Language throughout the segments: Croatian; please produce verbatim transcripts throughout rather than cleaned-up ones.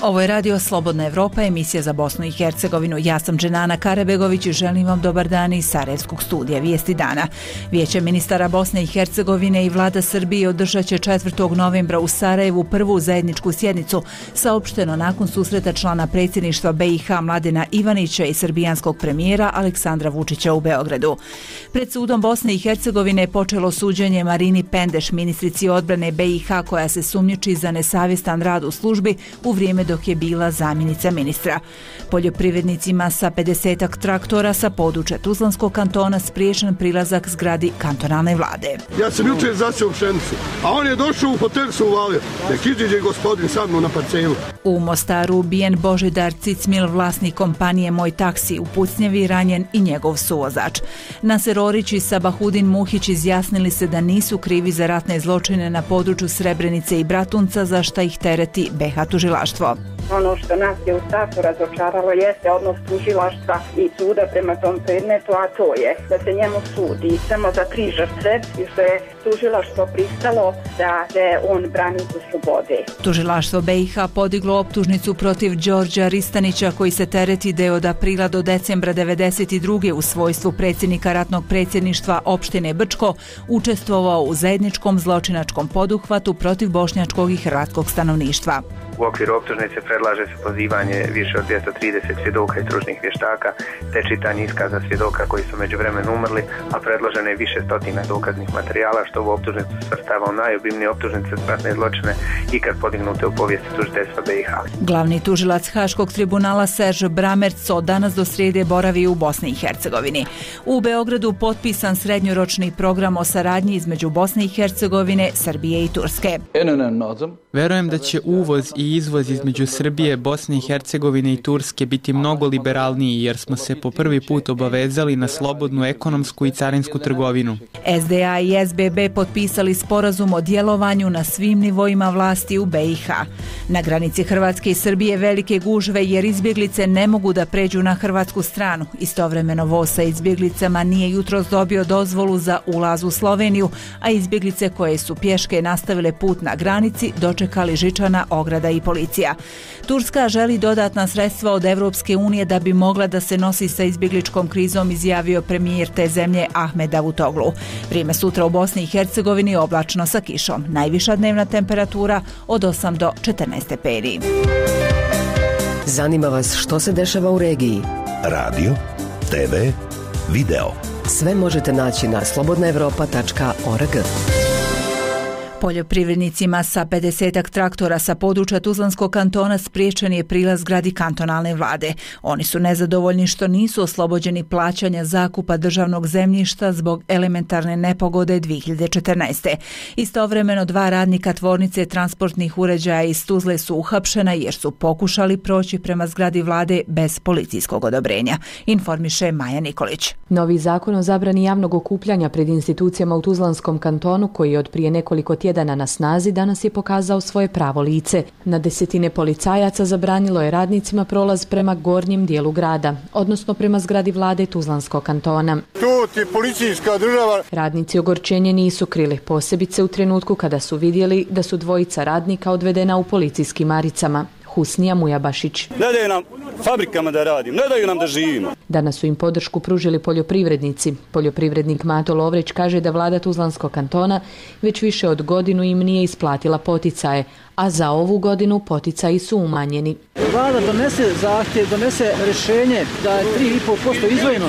Ovo je radio Slobodna Evropa, emisija za Bosnu i Hercegovinu. Ja sam Dženana Karabegović i želim vam dobar dan iz Sarajevskog studija Vijesti dana. Vijeće ministara Bosne i Hercegovine i vlada Srbije održat će četvrtog novembra u Sarajevu prvu zajedničku sjednicu, saopšteno nakon susreta člana predsjedništva B i H Mladena Ivanića i srbijanskog premijera Aleksandra Vučića u Beogradu. Pred sudom Bosne i Hercegovine je počelo suđenje Marini Pendeš, ministrici odbrane B i H, koja se sumnjiči za nesavjestan rad u službi u vrijeme dok je bila zamjenica ministra. Poljoprivrednicima sa pedesetak traktora sa područja Tuzlanskog kantona spriječen prilazak zgradi kantonalne vlade. Ja sam jučer zasio pšenicu, a on je došao u hotel se uvalio. Nek iđe gospodin sa mnom na parcelu. U Mostaru ubijen Božidar Cicmil, vlasnik kompanije Moj taksi, u pucnjevi ranjen i njegov suvozač. Naser Orić i Sabahudin Muhić izjasnili se da nisu krivi za ratne zločine na području Srebrenice i Bratunca, za šta ih tereti B i H tužilaštvo. Ono što nas je u startu razočaralo jeste odnos tužilaštva i suda prema tom predmetu, a to je da se njemu sudi samo za tri žrtve i što je tužilaštvo pristalo da se on brani u slobode. Tužilaštvo B i H podiglo optužnicu protiv Đorđa Ristanića, koji se tereti da je od aprila do decembra devedeset druge u svojstvu predsjednika ratnog predsjedništva opštine Brčko učestvovao u zajedničkom zločinačkom poduhvatu protiv bošnjačkog i hrvatskog stanovništva. U okviru optužnice predlaže se pozivanje više od dvjesto trideset svjedoka i stručnih vještaka te čitanje iskaza svjedoka koji su međuvremenu umrli, a predloženo je više stotina dokaznih materijala, što u optužnicu svrstava u najobimnije optužnice za ratne zločine ikad podignute u povijesti tužiteljstva B i H. Glavni tužilac Haškog tribunala Serž Bramerc od danas do srijede boravi u Bosni i Hercegovini. U Beogradu potpisan srednjoročni program o saradnji između Bosne i Hercegovine, Srbije i Turske. Verujem da će uvoz i izvoz između Srbije, Bosne i Hercegovine i Turske biti mnogo liberalniji, jer smo se po prvi put obavezali na slobodnu ekonomsku i carinsku trgovinu. S D A i S B B potpisali sporazum o djelovanju na svim nivoima vlasti u B i H. Na granici Hrvatske i Srbije velike gužve jer izbjeglice ne mogu da pređu na hrvatsku stranu. Istovremeno voz sa izbjeglicama nije jutros dobio dozvolu za ulaz u Sloveniju, a izbjeglice koje su pješke nastavile put na granici dočekali žičana, ograda i policija. Turska želi dodatna sredstva od Evropske unije da bi mogla da se nosi sa izbjegličkom krizom, izjavio premijer te zemlje Ahmed Davutoglu. Vrijeme sutra u Bosni i Hercegovini oblačno sa kišom. Najviša dnevna temperatura od osam do četrnaest stepeni. Zanima vas što se dešava u regiji? Radio, te ve, video. Sve možete naći na slobodna evropa tačka org. Poljoprivrednicima sa pedesetak traktora sa područja Tuzlanskog kantona spriječen je prilaz zgradi kantonalne vlade. Oni su nezadovoljni što nisu oslobođeni plaćanja zakupa državnog zemljišta zbog elementarne nepogode dvije hiljade četrnaeste. Istovremeno dva radnika tvornice transportnih uređaja iz Tuzle su uhapšena jer su pokušali proći prema zgradi vlade bez policijskog odobrenja, informiše Maja Nikolić. Novi zakon o zabrani javnog okupljanja pred institucijama u Tuzlanskom kantonu, koji je od prije nekoliko tjedana na snazi, danas je pokazao svoje pravo lice. Na desetine policajaca zabranilo je radnicima prolaz prema gornjem dijelu grada, odnosno prema zgradi vlade Tuzlanskog kantona. To ti policijska država. Radnici ogorčenje nisu krili, posebice u trenutku kada su vidjeli da su dvojica radnika odvedena u policijskim maricama. Husnija Mujabašić. Ne daju nam fabrikama da radimo, ne daju nam da živimo. Danas su im podršku pružili poljoprivrednici. Poljoprivrednik Mato Lovrić kaže da vlada Tuzlanskog kantona već više od godinu im nije isplatila poticaje, a za ovu godinu poticaji su umanjeni. Vlada donese zahtjev, donese rješenje da je tri i pol posto izdvojeno,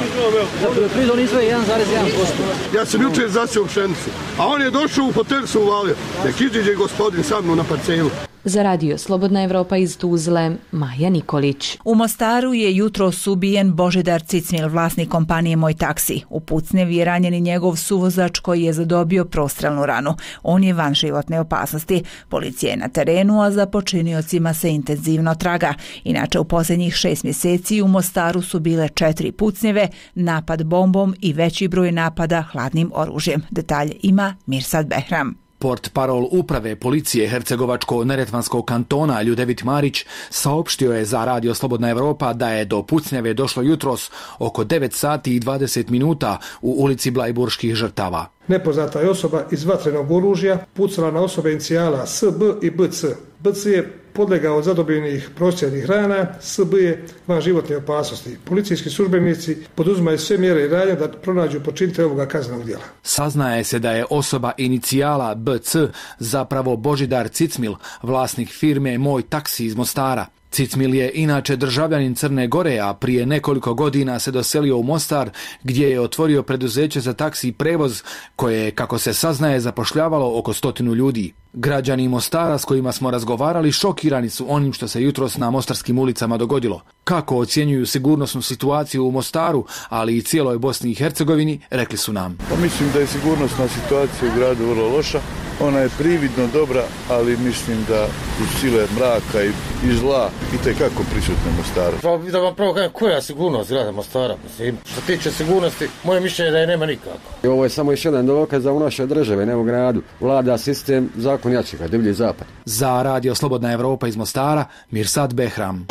za poljoprivredu on izdvoje jedan zarez jedan posto. Ja sam jučer zasio pšenicu, a on je došao u hotel se uvalio. Nek iđe gospodin sa mnom na parcelu. Za radio Slobodna Evropa iz Tuzle, Maja Nikolić. U Mostaru je jutros ubijen Božidar Cicmil, vlasnik kompanije Moj taksi. U pucnjevi je ranjen i njegov suvozač koji je zadobio prostrelnu ranu. On je van životne opasnosti. Policija je na terenu, a za počiniocima se intenzivno traga. Inače, u posljednjih šest mjeseci u Mostaru su bile četiri pucnjeve, napad bombom i veći broj napada hladnim oružjem. Detalje ima Mirsad Behram. Portparol uprave policije Hercegovačko-neretvanskog kantona Ljudevit Marić saopštio je za radio Slobodna Evropa da je do pucnjave došlo jutros oko devet sati i dvadeset minuta u ulici Blajburških žrtava. Nepoznata je osoba iz vatrenog oružja pucala na osobe inicijala S B i B C. B C je podlegao od zadobljenih prosjećnih rana, S B je van životne opasnosti. Policijski službenici poduzimaju sve mjere i radnje da pronađu počinitelja ovoga kaznenog djela. Saznaje se da je osoba inicijala B C zapravo Božidar Cicmil, vlasnik firme Moj taksi iz Mostara. Cicmil je inače državljanin Crne Gore, a prije nekoliko godina se doselio u Mostar gdje je otvorio preduzeće za taksi prevoz koje je, kako se saznaje, zapošljavalo oko stotinu ljudi. Građani Mostara s kojima smo razgovarali šokirani su onim što se jutros na mostarskim ulicama dogodilo. Kako ocjenjuju sigurnosnu situaciju u Mostaru, ali i cijeloj Bosni i Hercegovini, rekli su nam. Pa mislim da je sigurnosna situacija u gradu vrlo loša. Ona je prividno dobra, ali mislim da u sile mraka i, i zla i tekako prisutne u Mostaru. Pa da vam pravo kažem, koja je sigurnost grada Mostara? Mislim, što tiče sigurnosti, moje mišljenje je da je nema nikako. I ovo je samo još jedan dokaz da u našoj državi, ne u gradu, vlada sistem zakon jačega, divlji zapad. Za Radio Slobodna Evropa iz Mostara, Mirsad Behram.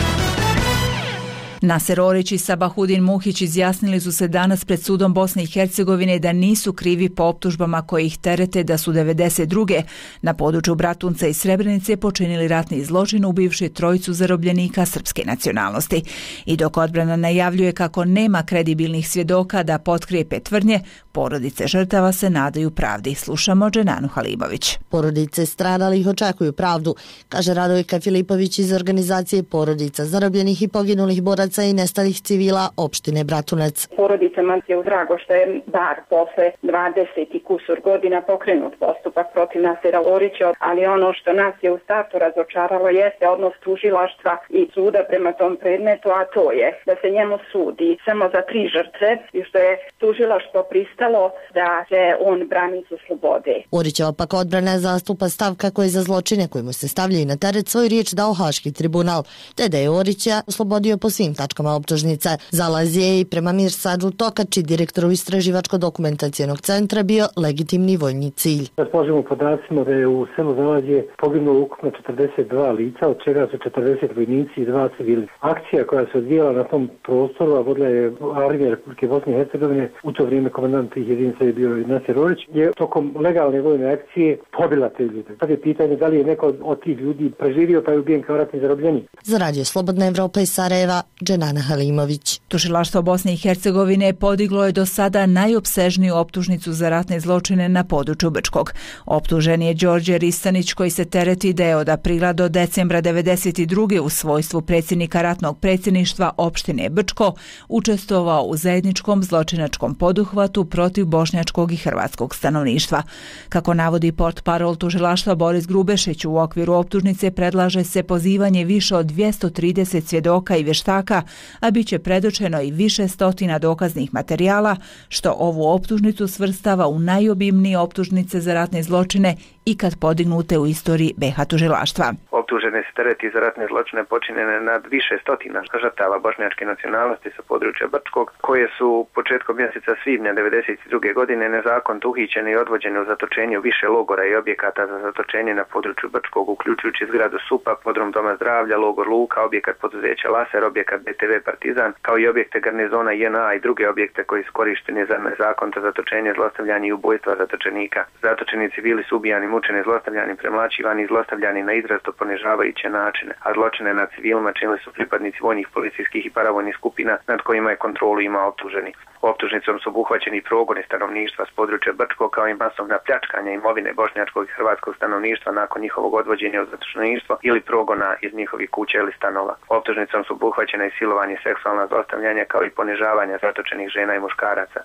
Naser Orić i Sabahudin Muhić izjasnili su se danas pred sudom Bosne i Hercegovine da nisu krivi po optužbama koje ih terete da su devedeset druge na području Bratunca i Srebrenice počinili ratni zločin ubivši trojicu zarobljenika srpske nacionalnosti. I dok odbrana najavljuje kako nema kredibilnih svjedoka da potkrijepe tvrdnje, porodice žrtava se nadaju pravdi. Slušamo Dženanu Halibović. Porodice stradalih očekuju pravdu, kaže Radojka Filipović iz organizacije Porodica zarobljenih i poginulih boraca i nestalih civila opštine Bratunac. Porodicama je udrago što je bar posle dvadeset i kusur godina pokrenut postupak protiv Nasera Orića, ali ono što nas je u startu razočaralo jeste odnos tužilaštva i suda prema tom predmetu, a to je da se njemu sudi samo za tri žrtve i što je tužilaštvo pristalo da se on brani sa slobode. Orićeva pak odbrana zastupa stav kako je za zločine koji mu se stavljaju na teret svoju riječ dao Haški tribunal, te da je Orića oslobodio po svim tačkama optužnice. Zalaz je i prema Mirsadu Tokači, direktoru istraživačko-dokumentacijenog centra, bio legitimni vojni cilj. Raspolažemo podacima da je u selu Zalazje poginulo ukupno četrdeset dva lica, od čega su četrdeset vojnici i dva civili. Akcija koja se odvijala na tom prostoru, a vodila je Armija Republike Bosne i Hercegovine, u to vrijeme komandant tih jedinica je bio Naser Orić, je tokom legalne vojne akcije pobila te ljude. Sad je pitanje da li je neko od tih ljudi preživio pa je ubijen kao ratni zarobljenik. Za Radio Slobodna Evropa iz Sarajeva, Dženana Halimović. Tužilaštvo Bosne i Hercegovine podiglo je do sada najopsežniju optužnicu za ratne zločine na području Brčkog. Optužen je Đorđe Ristanić koji se tereti da je od aprila do decembra devedeset druge u svojstvu predsjednika ratnog predsjedništva opštine Brčko učestvovao u zajedničkom zločinačkom poduhvatu protiv bošnjačkog i hrvatskog stanovništva. Kako navodi portparol tužilaštva Boris Grubešić, u okviru optužnice predlaže se pozivanje više od dvjesto trideset svjedoka i vještaka, a bit će predočeno i više stotina dokaznih materijala, što ovu optužnicu svrstava u najobimnije optužnice za ratne zločine ikad podignute u istoriji B iH tužilaštva. Optužene se tereti za ratne zločine počinjene nad više stotina žrtava bošnjačke nacionalnosti sa područja Brčkog, koje su početkom mjeseca svibnja devedeset druge godine nezakonito uhićene i odvođene u zatočenje u više logora i objekata za zatočenje na području Brčkog, uključujući zgradu SUP-a, podrum Doma zdravlja, logor Luka, objekat poduzeća Laser, objekat B T V Partizan, kao i objekte garnizona J N A i druge objekte koji su korišteni za nezakonito zatočenje, zlostavljanje i ubojstva zatočenika. Zatočeni civili su ubijani, mučeni, zlostavljani, premlaćivani i zlostavljani na izrazito ponižavajuće načine, a zločine nad civilima činili su pripadnici vojnih, policijskih i paravojnih skupina nad kojima je kontrolu imao optuženi. Optužnicom su obuhvaćeni progoni stanovništva s područja Brčkog kao i masovna pljačkanja imovine bošnjačkog i hrvatskog stanovništva nakon njihovog odvođenja u zatočeništvo ili progona iz njihovih kuća ili stanova. Optužnicom su obuhvaćena i silovanje i seksualna zlostavljanja kao i ponižavanja zatočenih žena i muškaraca.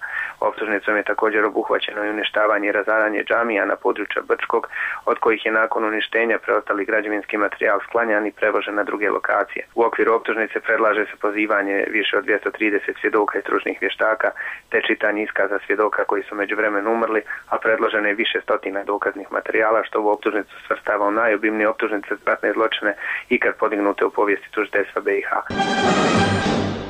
Optužnicom je također obuhvaćeno i uništavanje i razaranje džamija na području Brčkog, od kojih je nakon uništenja preostali građevinski materijal sklanjan i prevožen na druge lokacije. U okviru optužnice predlaže se pozivanje više od dvjesto trideset svjedoka i stručnih vještaka, te čitanje iskaza svjedoka koji su međuvremenu umrli, a predloženo je više stotina dokaznih materijala, što u optužnicu svrstava u najobimnije optužnice za ratne zločine ikad podignute u povijesti tužiteljstva B iH.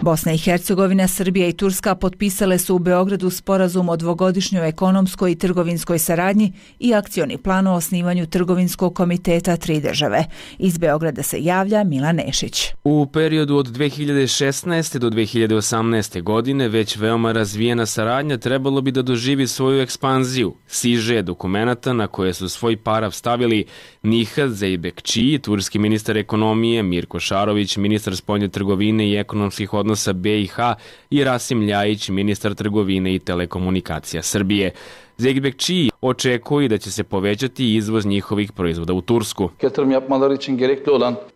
Bosna i Hercegovina, Srbija i Turska potpisale su u Beogradu sporazum o dvogodišnjoj ekonomskoj i trgovinskoj saradnji i akcioni plan o osnivanju trgovinskog komiteta tri države. Iz Beograda se javlja Milan Nešić. U periodu od dve hiljade šesnaeste do dve hiljade osamnaeste godine već veoma razvijena saradnja trebalo bi da doživi svoju ekspanziju. Siže dokumenata na koje su svoj parav stavili Nihat Zeybekçi, turski ministar ekonomije, Mirko Šarović, ministar spoljne trgovine i ekonomskih odnosa be i ha i Rasim Ljajić, ministar trgovine i telekomunikacija Srbije. Zeybekçi očekuje da će se povećati izvoz njihovih proizvoda u Tursku.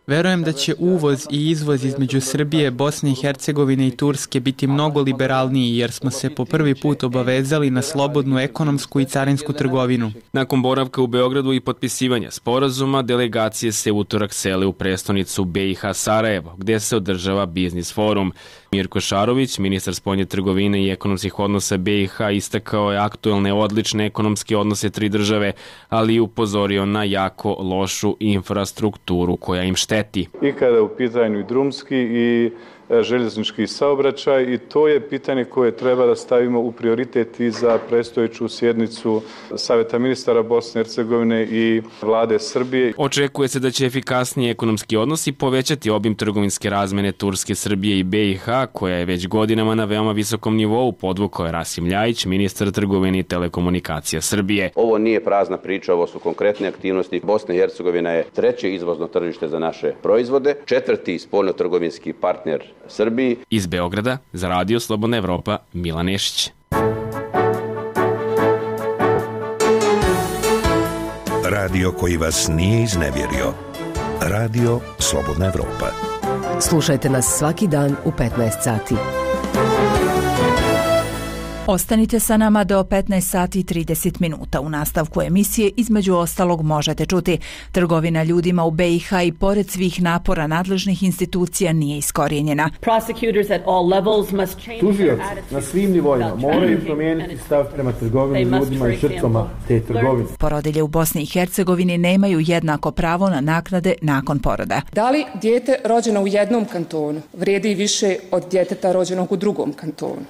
Verujem da će uvoz i izvoz između Srbije, Bosne i Hercegovine i Turske biti mnogo liberalniji jer smo se po prvi put obavezali na slobodnu ekonomsku i carinsku trgovinu. Nakon boravka u Beogradu i potpisivanja sporazuma, delegacije se utorak sele u prestonicu be i ha Sarajevo, gdje se održava biznis forum. Mirko Šarović, ministar spoljne trgovine i ekonomskih odnosa be i ha, istakao je aktuelne odlične ekonomske odnose tri države, ali i upozorio na jako lošu infrastrukturu koja im šteti. I kada je u pitanju i drumski i željeznički saobraćaj i to je pitanje koje treba da stavimo u prioritet i za predstojeću sjednicu Saveta ministara Bosne i Hercegovine i vlade Srbije. Očekuje se da će efikasniji ekonomski odnosi povećati obim trgovinske razmene Turske, Srbije i be i ha, koja je već godinama na veoma visokom nivou, podvukao je Rasim Ljajić, ministar trgovine i telekomunikacija Srbije. Ovo nije prazna priča, ovo su konkretne aktivnosti. Bosna i Hercegovina je treće izvozno tržište za naše proizvode, četvrti spoljnotrgovinski partner Srbiji. Iz Beograda za Radio Slobodna Evropa, Milan Nešić. Radio koji vas nije iznevjerio. Radio Slobodna Evropa. Slušajte nas svaki dan u petnaest sati. Ostanite sa nama do petnaest sati i trideset minuta. U nastavku emisije između ostalog možete čuti: trgovina ljudima u be i ha i pored svih napora nadležnih institucija nije iskorijenjena. Tužioci na svim nivoima moraju promijeniti stav prema trgovini ljudima i žrtvama te trgovine. Porodilje u Bosni i Hercegovini nemaju jednako pravo na naknade nakon poroda. Da li dijete rođeno u jednom kantonu vrijedi više od djeteta rođenog u drugom kantonu?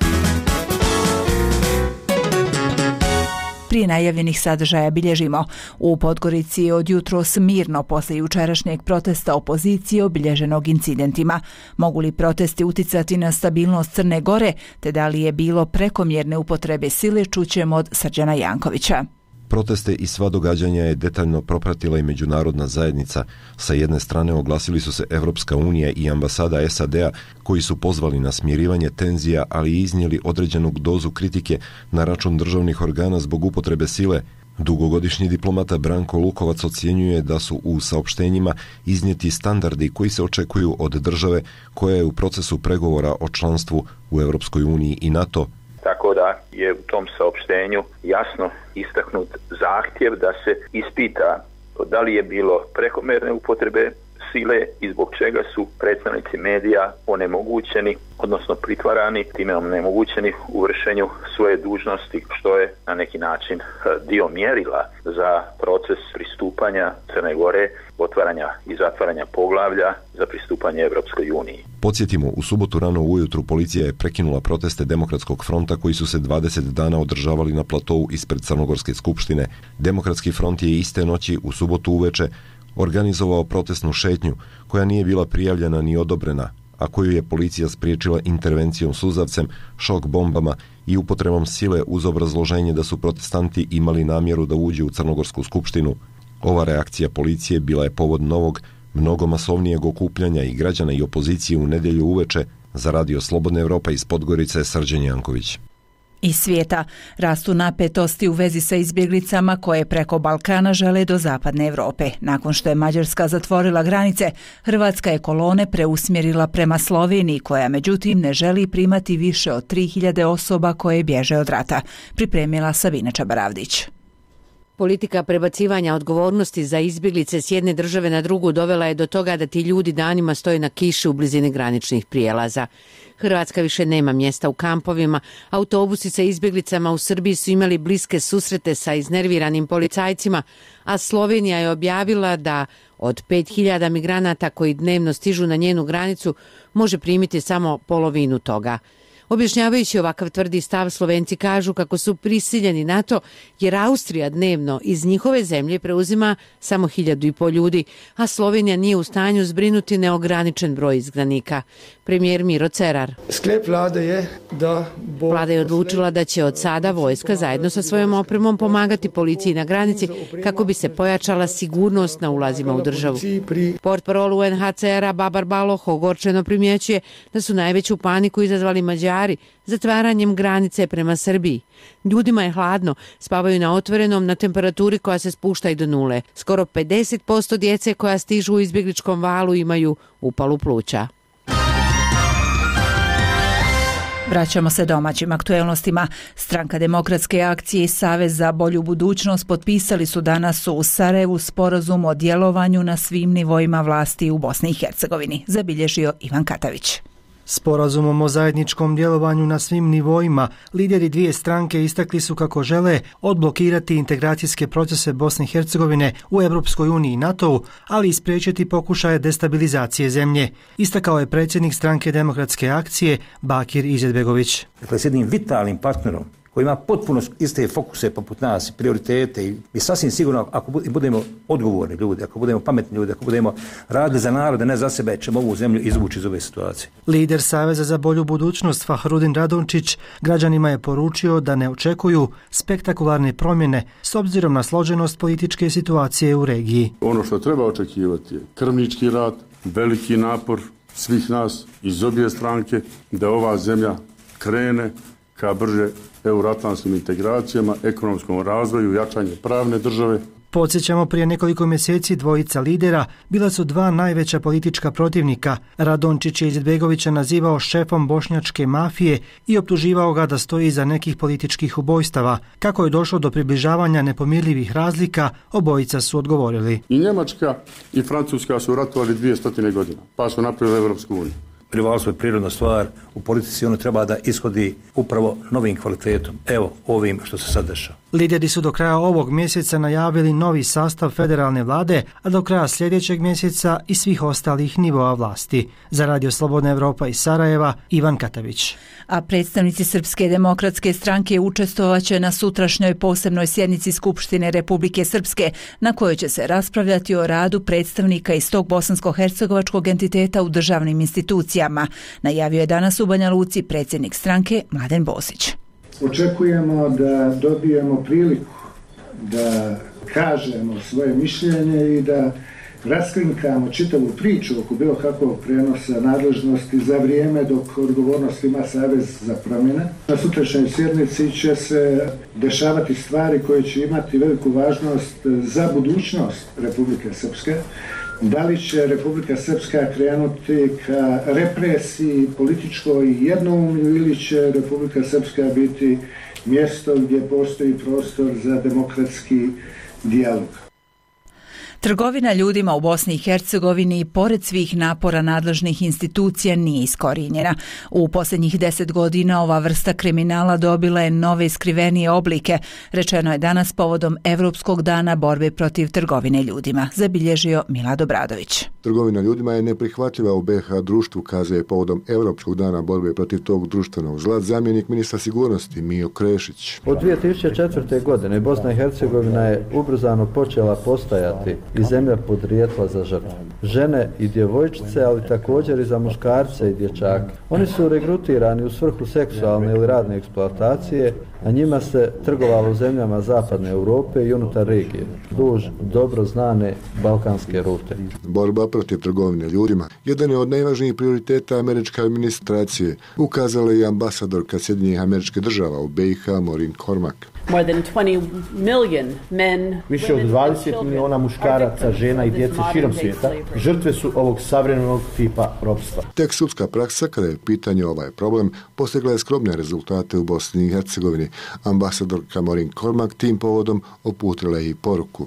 Prije najavljenih sadržaja bilježimo: u Podgorici je od jutros mirno posle jučerašnjeg protesta opozicije obilježenog incidentima. Mogu li protesti uticati na stabilnost Crne Gore, te da li je bilo prekomjerne upotrebe sile, čućemo od Srđana Jankovića. Proteste i sva događanja je detaljno propratila i međunarodna zajednica. Sa jedne strane oglasili su se Evropska unija i ambasada es a de a, koji su pozvali na smirivanje tenzija, ali i iznijeli određenu dozu kritike na račun državnih organa zbog upotrebe sile. Dugogodišnji diplomata Branko Lukovac ocjenjuje da su u saopštenjima iznijeti standardi koji se očekuju od države koja je u procesu pregovora o članstvu u Evropskoj uniji i NATO. Tako da je u tom saopštenju jasno istaknut zahtjev da se ispita da li je bilo prekomjerne upotrebe sile i zbog čega su predstavnici medija onemogućeni, odnosno pritvarani, time onemogućeni u vršenju svoje dužnosti, što je na neki način dio mjerila za proces pristupanja Crne Gore, otvaranja i zatvaranja poglavlja za pristupanje Evropskoj uniji. Podsjetimo, u subotu rano ujutru policija je prekinula proteste Demokratskog fronta koji su se dvadeset dana održavali na platovu ispred Crnogorske skupštine. Demokratski front je iste noći u subotu uveče organizovao protestnu šetnju koja nije bila prijavljena ni odobrena, a koju je policija spriječila intervencijom suzavcem, šok bombama i upotrebom sile uz obrazloženje da su protestanti imali namjeru da uđu u Crnogorsku skupštinu. Ova reakcija policije bila je povod novog, mnogo masovnijeg okupljanja i građana i opozicije u nedjelju uveče. Za Radio Slobodna Evropa iz Podgorice, Srđan Janković. Iz svijeta rastu napetosti u vezi sa izbjeglicama koje preko Balkana žele do zapadne Evrope. Nakon što je Mađarska zatvorila granice, Hrvatska je kolone preusmjerila prema Sloveniji, koja međutim ne želi primati više od tri hiljade osoba koje bježe od rata. Pripremila Savina Čabaravdić. Politika prebacivanja odgovornosti za izbjeglice s jedne države na drugu dovela je do toga da ti ljudi danima stoje na kiši u blizini graničnih prijelaza. Hrvatska više nema mjesta u kampovima, autobusi sa izbjeglicama u Srbiji su imali bliske susrete sa iznerviranim policajcima, a Slovenija je objavila da od pet hiljada migranata koji dnevno stižu na njenu granicu može primiti samo polovinu toga. Objašnjavajući ovakav tvrdi stav, Slovenci kažu kako su prisiljeni na to jer Austrija dnevno iz njihove zemlje preuzima samo hiljadu i pol ljudi, a Slovenija nije u stanju zbrinuti neograničen broj izgnanika. Premijer Miro Cerar. Sklep vlade je da... Bo... Vlada je odlučila da će od sada vojska zajedno sa svojom opremom pomagati policiji na granici kako bi se pojačala sigurnost na ulazima u državu. Portparol U N H C R-a Babar Baloh ogorčeno primjećuje da su najveću paniku izazvali Mađari zatvaranjem granice prema Srbiji. Ljudima je hladno, spavaju na otvorenom na temperaturi koja se spušta i do nule. Skoro pedeset posto djece koja stižu u izbjegličkom valu imaju upalu pluća. Vraćamo se domaćim aktuelnostima. Stranka Demokratske akcije i Savez za bolju budućnost potpisali su danas u Sarajevu sporazum o djelovanju na svim nivoima vlasti u Bosni i Hercegovini, zabilježio Ivan Katavić. Sporazumom o zajedničkom djelovanju na svim nivoima, lideri dvije stranke istakli su kako žele odblokirati integracijske procese Bosne i Hercegovine u Europskoj uniji i NATO-u, ali i spriječiti pokušaje destabilizacije zemlje. Istakao je predsjednik stranke Demokratske akcije Bakir Izetbegović. Dakle, s jednim vitalnim partnerom koji ima potpuno iste fokuse poput nas, prioritete i, i sasvim sigurno ako budemo odgovorni ljudi, ako budemo pametni ljudi, ako budemo radili za narode, ne za sebe, ćemo ovu zemlju izvući iz ove situacije. Lider Saveza za bolju budućnost Fahrudin Radončić građanima je poručio da ne očekuju spektakularne promjene s obzirom na složenost političke situacije u regiji. Ono što treba očekivati je krvnički rad, veliki napor svih nas iz obje stranke da ova zemlja krene ka brže euroatlantskim integracijama, ekonomskom razvoju, jačanje pravne države. Podsjećamo, prije nekoliko mjeseci dvojica lidera bila su dva najveća politička protivnika. Radončić je Izetbegovića nazivao šefom bošnjačke mafije i optuživao ga da stoji iza nekih političkih ubojstava. Kako je došlo do približavanja nepomirljivih razlika, obojica su odgovorili. I Njemačka i Francuska su ratovali dvije stotine godina, pa su napravili Evropsku uniju. Rivalstvo je prirodna stvar, u politici ono treba da ishodi upravo novim kvalitetom, evo ovim što se sad dešava. Lideri su do kraja ovog mjeseca najavili novi sastav federalne vlade, a do kraja sljedećeg mjeseca i svih ostalih nivoa vlasti. Za Radio Slobodna Evropa iz Sarajeva, Ivan Katavić. A predstavnici Srpske demokratske stranke učestvovaće na sutrašnjoj posebnoj sjednici Skupštine Republike Srpske, na kojoj će se raspravljati o radu predstavnika iz tog bosansko-hercegovačkog entiteta u državnim institucijama, najavio je danas u Banja Luci predsjednik stranke Mladen Bosić. Očekujemo da dobijemo priliku da kažemo svoje mišljenje i da raskrinkamo čitavu priču oko bilo kakvog prenosa nadležnosti za vrijeme dok odgovornost ima Savez za promjene. Na sutrašnjoj sjednici će se dešavati stvari koje će imati veliku važnost za budućnost Republike Srpske. Da li će Republika Srpska krenuti ka represiji političkoj i jednoumlju ili će Republika Srpska biti mjesto gdje postoji prostor za demokratski dijalog. Trgovina ljudima u Bosni i Hercegovini pored svih napora nadležnih institucija nije iskorijenjena. U posljednjih deset godina ova vrsta kriminala dobila je nove skrivenije oblike, rečeno je danas povodom Evropskog dana borbe protiv trgovine ljudima, zabilježio Milad Obradović. Trgovina ljudima je neprihvatljiva u B H društvu, kaže je povodom Evropskog dana borbe protiv tog društvenog zla zamjenik ministra sigurnosti Mijo Krešić. Od dvije tisuće četvrte. godine Bosna i Hercegovina je ubrzano počela postajati i zemlja podrijetla za žrtve. Žene i djevojčice, ali također i za muškarce i dječake. Oni su regrutirani u svrhu seksualne ili radne eksploatacije, a njima se trgovalo u zemljama zapadne Europe i unutar regije, duž dobro znane balkanske rute. Borba protiv trgovine ljudima jedan je od najvažnijih prioriteta američke administracije, ukazala je i ambasadorka Sjedinjenih Američkih Država u B i H Maureen Cormack. Više od dvadeset miliona muškaraca, žena i djece širom svijeta žrtve su ovog savremenog tipa ropstva. Tek sudska praksa, kada je pitanje ovaj problem, postigla je skromne rezultate u Bosni i Hercegovini. Ambasadorka Maureen Cormack tim povodom uputila je i poruku.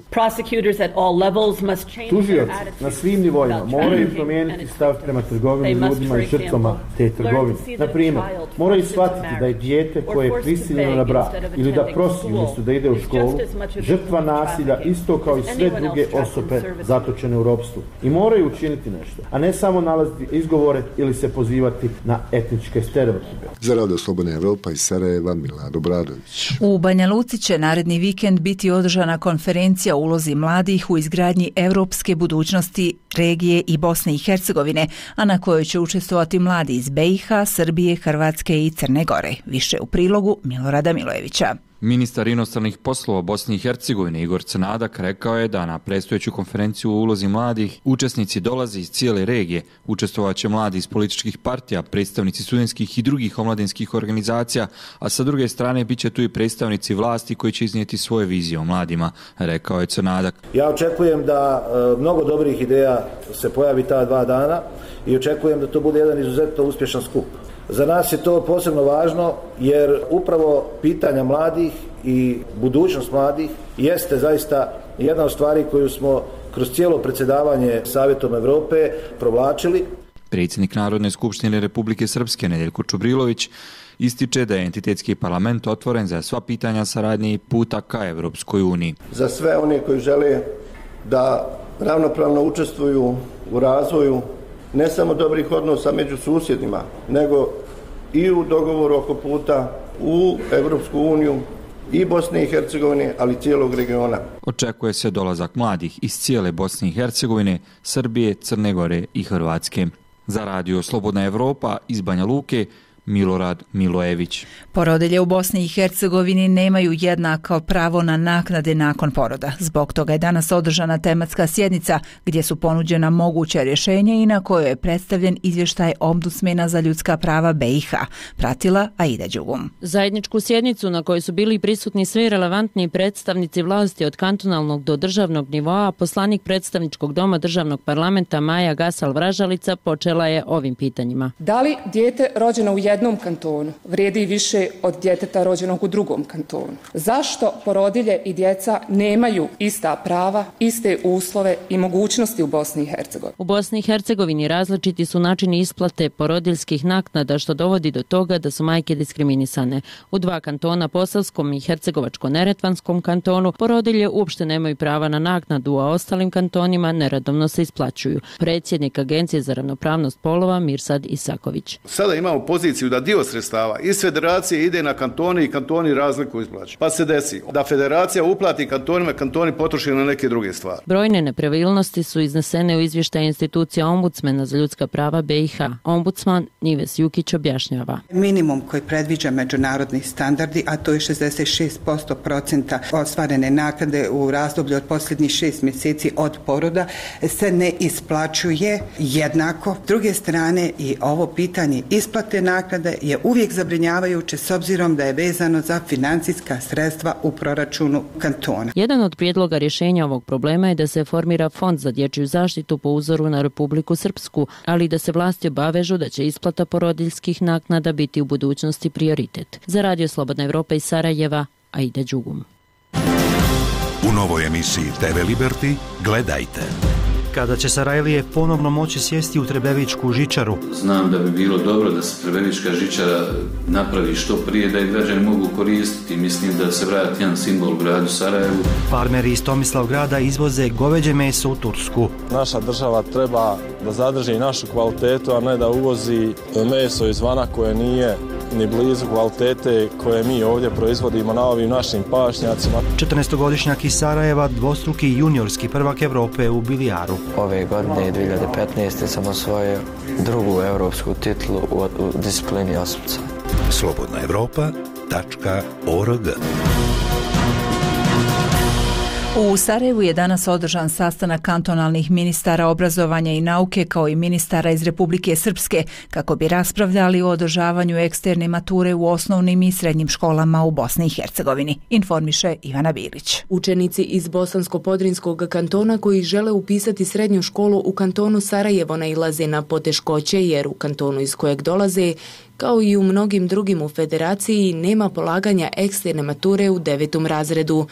Tužioci na svim nivoima moraju promijeniti stav prema trgovini ljudima i žrtvama te trgovine. Na primjer, moraju shvatiti da je dijete koje je prisiljeno na brak ili da prosi umjesto da ide u školu, žrtva nasilja isto kao i sve druge osobe zatočene u ropstvu. I moraju učiniti nešto, a ne samo nalaziti izgovore ili se pozivati na etničke stereotipe. Za Radio Slobodna Evropa iz Sarajeva, Milad Obradović. U Banja Luci će naredni vikend biti održana konferencija o ulozi mladih u izgradnji europske budućnosti regije i Bosne i Hercegovine, a na kojoj će učestvovati mladi iz B i H, Srbije, Hrvatske i Crne Gore. Više u prilogu Milorada Milojevića. Ministar inostranih poslova Bosne i Hercegovine Igor Crnadak rekao je da na predstojeću konferenciju o ulozi mladih učesnici dolaze iz cijele regije. Učestvovaće mladi iz političkih partija, predstavnici studentskih i drugih omladinskih organizacija, a sa druge strane bit će tu i predstavnici vlasti koji će iznijeti svoje vizije o mladima, rekao je Crnadak. Ja očekujem da e, mnogo dobrih ideja se pojavi ta dva dana i očekujem da to bude jedan izuzetno uspješan skup. Za nas je to posebno važno jer upravo pitanja mladih i budućnost mladih jeste zaista jedna od stvari koju smo kroz cijelo predsjedavanje Savjetom Evrope provlačili. Predsjednik Narodne skupštine Republike Srpske Nedeljko Čubrilović ističe da je entitetski parlament otvoren za sva pitanja saradnje i puta ka Evropskoj uniji. Za sve one koji žele da ravnopravno učestvuju u razvoju ne samo dobrih odnosa među susjedima, nego i u dogovoru oko puta u Evropsku uniju i Bosne i Hercegovine, ali cijelog regiona. Očekuje se dolazak mladih iz cijele Bosne i Hercegovine, Srbije, Crne Gore i Hrvatske. Za Radio Slobodna Evropa iz Banja Luke, Milorad Milojević. Porodilje u Bosni i Hercegovini nemaju jednako pravo na naknade nakon poroda. Zbog toga je danas održana tematska sjednica gdje su ponuđena moguća rješenja i na kojoj je predstavljen izvještaj Ombudsmena za ljudska prava B i H. Pratila Aida Đugum. Zajedničku sjednicu na kojoj su bili prisutni svi relevantni predstavnici vlasti od kantonalnog do državnog nivoa, poslanik predstavničkog doma državnog parlamenta Maja Gasal-Vražalica počela je ovim pitanjima. Da li dijete rođeno u jednom kantonu vrijedi više od djeteta rođenog u drugom kantonu? Zašto porodilje i djeca nemaju ista prava, iste uslove i mogućnosti u Bosni i Hercegovini? U Bosni i Hercegovini različiti su načini isplate porodiljskih naknada, što dovodi do toga da su majke diskriminisane. U dva kantona, Posavskom i Hercegovačko-Neretvanskom kantonu, porodilje uopšte nemaju prava na naknadu, a ostalim kantonima neradovno se isplaćuju. Predsjednik Agencije za ravnopravnost polova Mirsad Isaković. Sada imamo poziciju da dio sredstava iz federacije ide na kantone i kantoni razliku isplaćuju. Pa se desi da federacija uplati kantonima, kantoni potroši na neke druge stvari. Brojne nepravilnosti su iznesene u izvještaju institucija Ombudsmena za ljudska prava B i H. Ombudsman Nives Jukić objašnjava. Minimum koji predviđa međunarodni standardi, a to je šezdeset šest posto procenta ostvarene naknade u razdoblju od posljednjih šest mjeseci od poroda, se ne isplaćuje jednako. S druge strane, i ovo pitanje isplate naknade je uvijek zabrinjavajuće s obzirom da je vezano za financijska sredstva u proračunu kantona. Jedan od prijedloga rješenja ovog problema je da se formira fond za dječju zaštitu po uzoru na Republiku Srpsku, ali da se vlasti obavežu da će isplata porodiljskih naknada biti u budućnosti prioritet. Za Radio Slobodna Evropa iz Sarajeva, Aida Đugum. U novoj emisiji T V Liberty gledajte. Kada će Sarajlije ponovno moći sjesti u Trebevičku žičaru. Znam da bi bilo dobro da se Trebevička žičara napravi što prije, da je građani mogu koristiti. Mislim da se vrati jedan simbol u gradu Sarajevu. Farmeri iz Tomislavgrada izvoze goveđe meso u Tursku. Naša država treba da zadrži našu kvalitetu, a ne da uvozi meso izvana koje nije ni blizu kvalitete koje mi ovdje proizvodimo na ovim našim pašnjacima. četrnaestogodišnjak iz Sarajeva, dvostruki juniorski prvak Evrope u bilijaru. Ove godine, dvije hiljade petnaeste. sam osvojio drugu evropsku titulu u, u disciplini osmca. slobodna evropa tačka org U Sarajevu je danas održan sastanak kantonalnih ministara obrazovanja i nauke kao i ministara iz Republike Srpske kako bi raspravljali o održavanju eksterne mature u osnovnim i srednjim školama u Bosni i Hercegovini, informiše Ivana Bilić. Učenici iz Bosansko-Podrinskog kantona koji žele upisati srednju školu u kantonu Sarajevo nailaze na poteškoće jer u kantonu iz kojeg dolaze, kao i u mnogim drugim u federaciji, nema polaganja eksterne mature u devetom razredu.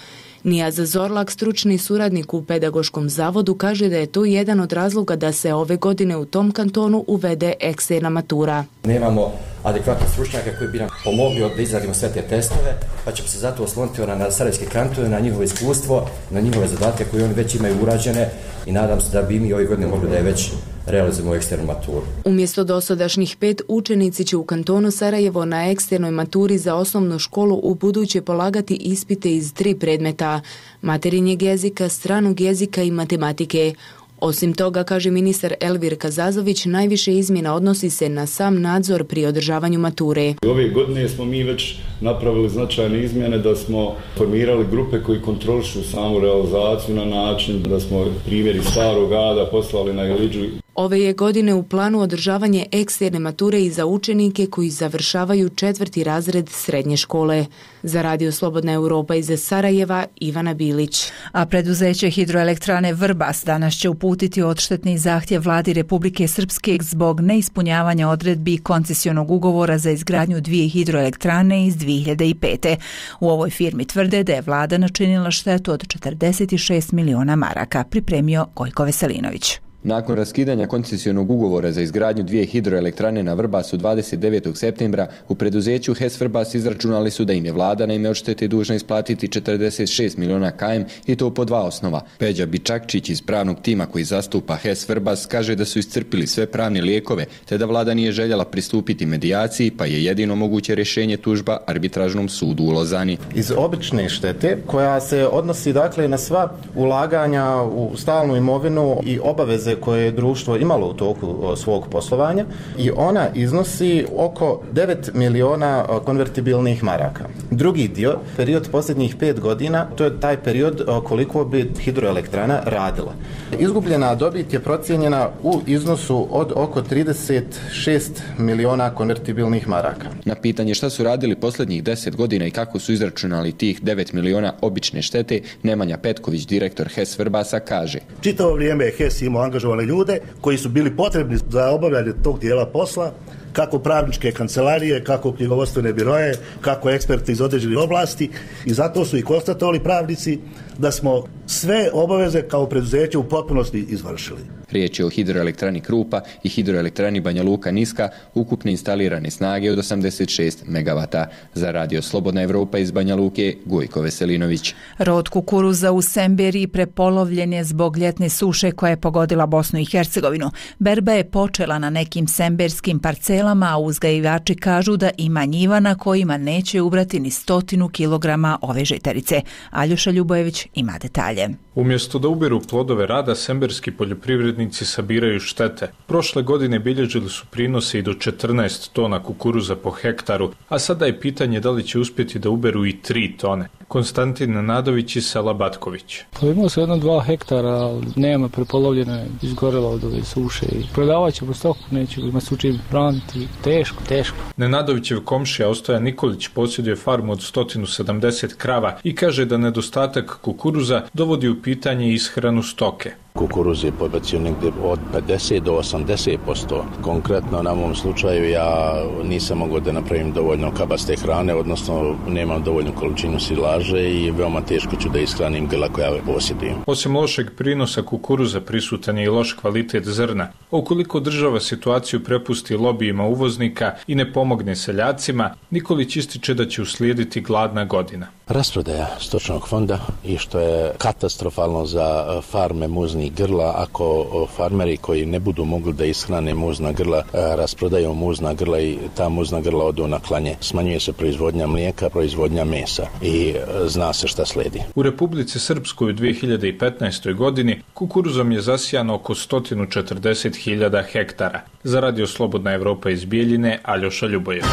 Nijaz Zorlak, stručni suradnik u pedagoškom zavodu, kaže da je to jedan od razloga da se ove godine u tom kantonu uvede eksterna matura. Nemamo adekvatne stručnjake koji bi nam pomogli da izradimo sve te testove, pa ćemo se zato osloniti na sarajevski kanton, na njihovo iskustvo, na njihove zadatke koje oni već imaju urađene i nadam se da bi mi ove godine mogli da je već realizujemo eksternu maturu. Umjesto dosadašnjih pet, učenici će u kantonu Sarajevo na eksternoj maturi za osnovnu školu u buduće polagati ispite iz tri predmeta: materinjeg jezika, stranog jezika i matematike. Osim toga, kaže ministar Elvir Kazazović, najviše izmjena odnosi se na sam nadzor pri održavanju mature. Ove godine smo mi već napravili značajne izmjene da smo formirali grupe koji kontrolišu samu realizaciju na način da smo primjeri starog rada poslali na Iliđu. Ove je godine u planu održavanje eksterne mature i za učenike koji završavaju četvrti razred srednje škole. Za Radio Slobodna Europa iz Sarajeva, Ivana Bilić. A preduzeće hidroelektrane Vrbas danas će uputiti odštetni zahtjev vladi Republike Srpske zbog neispunjavanja odredbi koncesionog ugovora za izgradnju dvije hidroelektrane iz dvije hiljade pete. U ovoj firmi tvrde da je vlada načinila štetu od četrdeset šest miliona maraka, pripremio Gojko Veselinović. Nakon raskidanja koncesionog ugovora za izgradnju dvije hidroelektrane na Vrbasu dvadeset devetog septembra, u preduzeću H E S Vrbas izračunali su da im je vlada na ime odštete dužna isplatiti četrdeset šest miliona km i to po dva osnova. Peđa Bičakčić iz pravnog tima koji zastupa H E S Vrbas kaže da su iscrpili sve pravne lijekove, te da vlada nije željela pristupiti medijaciji, pa je jedino moguće rješenje tužba arbitražnom sudu u Lozani. Iz obične štete koja se odnosi dakle na sva ulaganja u stalnu imovinu i obaveze koje je društvo imalo u toku svog poslovanja i ona iznosi oko devet miliona konvertibilnih maraka. Drugi dio, period posljednjih pet godina, to je taj period koliko bi hidroelektrana radila. Izgubljena dobit je procijenjena u iznosu od oko trideset šest miliona konvertibilnih maraka. Na pitanje šta su radili posljednjih deset godina i kako su izračunali tih devet miliona obične štete, Nemanja Petković, direktor H E S Vrbasa, kaže: Čitavo vrijeme je H E S imao angažovane ljude koji su bili potrebni za obavljanje tog dijela posla, kako pravničke kancelarije, kako knjigovodstvene biroje, kako eksperti iz određenih oblasti, i zato su i konstatovali pravnici da smo sve obaveze kao preduzeće u potpunosti izvršili. Riječ je o hidroelektrani Krupa i hidroelektrani Banja Luka Niska, ukupne instalirane snage od osamdeset šest megavata. Za Radio Slobodna Evropa iz Banja Luke, Gojko Veselinović. Rod kukuruza u Semberiji prepolovljen je zbog ljetne suše koja je pogodila Bosnu i Hercegovinu. Berba je počela na nekim semberskim parcelama, a uzgajivači kažu da ima njiva na kojima neće ubrati ni stotinu kilograma ove žitarice. Aljoša Ljubojević ima detalje. Umjesto da uberu plodove rada, semberski poljoprivrednici sabiraju štete. Prošle godine bilježili su prinose i do četrnaest tona kukuruza po hektaru, a sada je pitanje da li će uspjeti da uberu i tri tone. Konstantin Nadović i Sela Batković. Pa imao se jedno dva hektara, ali nema, prepolovljeno je, izgorela od ove suše i prodavat ćemo stoku, nećemo ima sučim braniti, teško, teško. Nenadovićev komšija Ostoja Nikolić posjeduje farmu od sto sedamdeset krava i kaže da nedostatak kukuruza dovodi u pitanje ishranu stoke. Kukuruz je pobacio negdje od pedeset do osamdeset posto. Konkretno na mom slučaju ja nisam mogao da napravim dovoljno kabaste hrane, odnosno nemam dovoljnu količinu silaže i veoma teško ću da ishranim grla koja posjedujem. Osim lošeg prinosa kukuruza prisutan je i loš kvalitet zrna. Ukoliko država situaciju prepusti lobijima uvoznika i ne pomogne seljacima, Nikolić ističe da će uslijediti gladna godina. Rasprodaja stočnog fonda i što je katastrofalno za farme muznih grla, ako farmeri koji ne budu mogli da ishrane muzna grla rasprodaju muzna grla i ta muzna grla odu na klanje. Smanjuje se proizvodnja mlijeka, proizvodnja mesa i zna se šta slijedi. U Republici Srpskoj u dvije hiljade petnaestoj godini kukuruzom je zasijano oko sto četrdeset hiljada hektara. Za Radio Slobodna Evropa iz Bijeljine, Aljoša Ljubojević.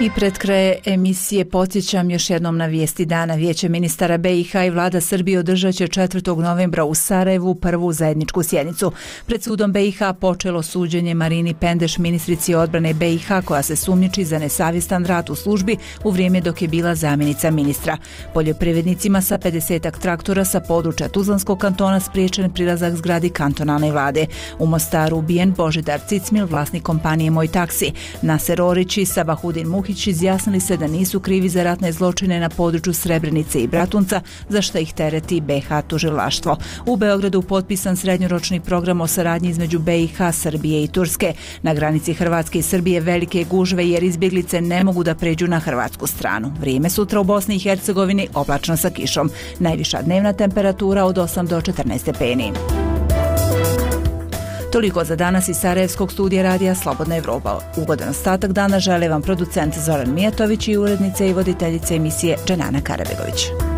I pred kraje emisije podsjećam još jednom na vijesti dana. Vijeće ministara B i H i vlada Srbije održat će četvrtog novembra u Sarajevu prvu zajedničku sjednicu. Pred sudom B i H počelo suđenje Marini Pendeš, ministrici odbrane B i H, koja se sumnjiči za nesavjestan rad u službi u vrijeme dok je bila zamjenica ministra. Poljoprivrednicima sa pedesetak traktora sa područja Tuzlanskog kantona spriječen prilazak zgradi kantonalne vlade. U Mostaru ubijen Božidar Cicmil, vlasnik kompanije Moj taksi. Naser Orić i Sabahudin Muhić izjasnili se da nisu krivi za ratne zločine na području Srebrenice i Bratunca, za što ih tereti B i H tužilaštvo. U Beogradu potpisan srednjoročni program o saradnji između B i H, Srbije i Turske. Na granici Hrvatske i Srbije velike gužve jer izbjeglice ne mogu da pređu na hrvatsku stranu. Vrijeme sutra u Bosni i Hercegovini oblačno sa kišom. Najviša dnevna temperatura od osam do četrnaest stepeni. Toliko za danas iz Sarajevskog studija radija Slobodna Evropa. Ugodan ostatak dana žele vam producent Zoran Mijatović i urednica i voditeljica emisije Dženana Karabegović.